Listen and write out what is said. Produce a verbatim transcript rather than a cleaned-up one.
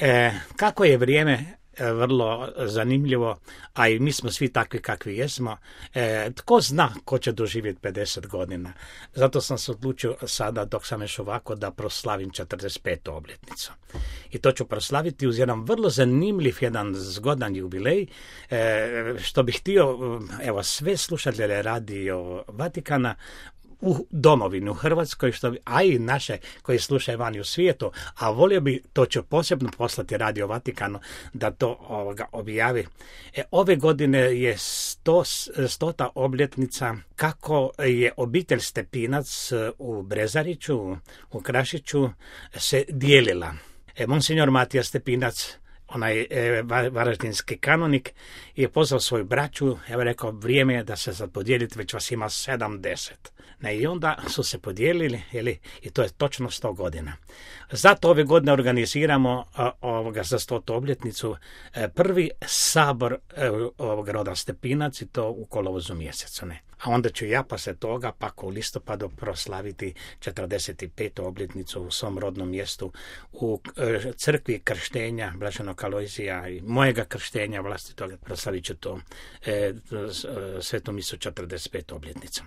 E, kako je vrijeme e, vrlo zanimljivo, a i mi smo svi takvi kakvi jesmo. E, tko zna ko će doživjeti pedeset godina. Zato sam se odlučio sada, dok sam još ovako, da proslavim četrdeset petu obljetnicu. I to ću proslaviti uz jedan vrlo zanimljiv, jedan zgodan jubilej, e, što bih htio, evo, sve slušatelje Radio Vatikana u domovini, u Hrvatskoj, što, a i naše koji slušaju vani u svijetu, a volio bi, to ću posebno poslati Radio Vatikanu da to ovoga objavi. E, ove godine je sto, stota obljetnica kako je obitelj Stepinac u Brezariću, u Krašiću se dijelila. E, Monsignor Matija Stepinac, onaj e, varaždinski kanonik, je pozvao svoju braću, evo rekao, vrijeme je da se sad podijelite, već vas ima sedamdeset. Ne, i onda su se podijelili, jeli, i to je točno sto godina. Zato ove godine organiziramo a, ovoga za stotu obljetnicu a, prvi sabor a, ovog roda Stepinac, i to u kolovozu mjesecu. Ne. A onda ću ja poslije toga pak u listopadu proslaviti četrdeset petu obljetnicu u svom rodnom mjestu u e, crkvi krštenja Blaženog Alojzija i mojega krštenja vlastitoga. Proslavit ću to e, svetu misu četrdeset petu obljetnicu.